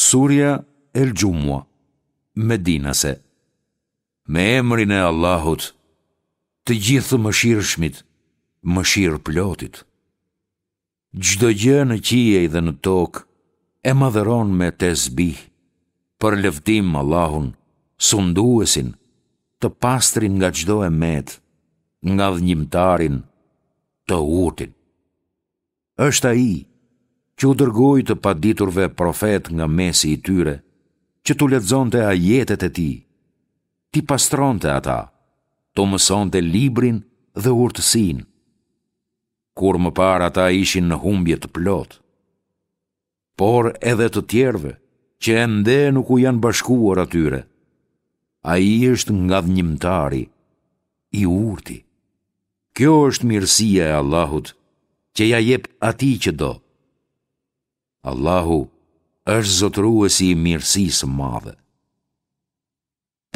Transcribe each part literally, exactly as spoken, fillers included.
Surja El Xhumua, Medinase. Me emrin e Allahut, të Gjithëmëshirshmit, Mëshirëplotit. Çdo gjë në qiej dhe në tokë e madhëron me tesbih, përlëvdim Allahun, Sunduesin, të pastrin nga çdo e metë, ngadhënjimtarin, të urtin. Është Ai, që u dërgoi të paditurve profetë nga mesi i tyre, që t'u lexonte ajetet e Tij, t'i pastronte ata, t'u mësonte librin dhe urtësinë, kur më parë ata ishin në humbje të plotë. Por edhe të tjerëve, që ende nuk u janë bashkuar atyre. Ai është ngadhënjimtari, i urti. Kjo është mirësia e Allahut, që ia jep atij që do. Allahu është zotëruesi i mirësisë së madhe.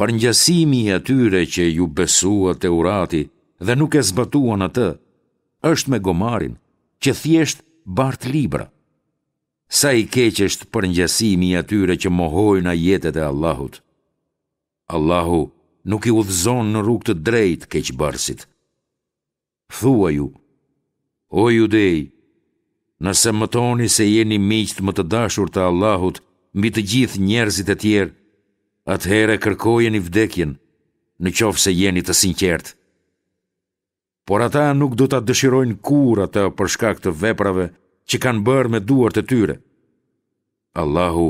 Përngjasimi i atyre që iu besua Teurati dhe nuk e zbatuan atë, është me gomarin, që thjesht bart libra. Sa i keq është përngjasimi i atyre që mohojnë ajetet e Allahut. Allahu nuk i udhëzon në rrugë të drejtë keqbërësit. Thuaju, o judej, nëse mëtoni se jeni miqtë më të dashur të Allahut mbi të gjithë njerëzit e tjerë, atëherë kërkojeni vdekjen, në qoftë se jeni të sinqertë. Por ata nuk do ta dëshirojnë kurrë atë për shkak të veprave që kanë bërë me duart e tyre. Allahu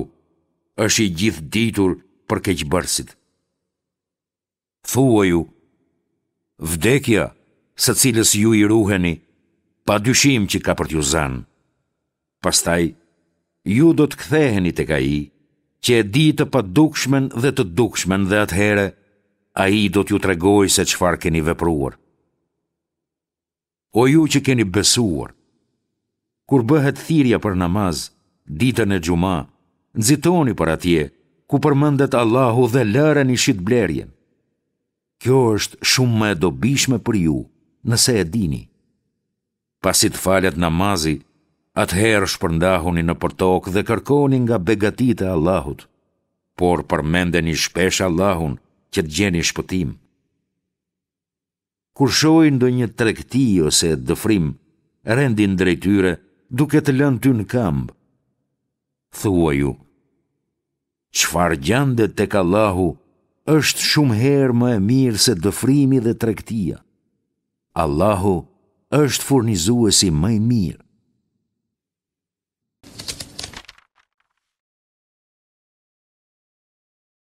është i gjithëditur për keqbërësit. Thuaju, vdekja, së cilës ju i ruheni, pa dyshim që ka për t'ju zënë. Pastaj, ju do të ktheheni tek Ai, që e di të padukshmen dhe të dukshmen dhe atëherë, Ai do t'ju tregojë se çfarë keni vepruar. O ju që keni besuar, kur bëhet thirrja për namaz, ditën e xhuma, nxitoni për atje, ku përmendet Allahu dhe lëreni shitblerjen. Kjo është shumë më e dobishme për ju, nëse e dini. Pasi të falet namazi, atëherë shpërndahuni nëpër tokë dhe kërkoni nga begatitë e Allahut, por përmendeni shpesh Allahun që të gjeni shpëtim. Kur shohin ndonjë tregti ose dëfrim, rendin drejt tyre, duke të lënë ty në këmbë. Thuaju, çfarë gjendet tek Allahu është shumë herë më e mirë se dëfrimi dhe tregtia. Allahu është furnizuesi më i mirë.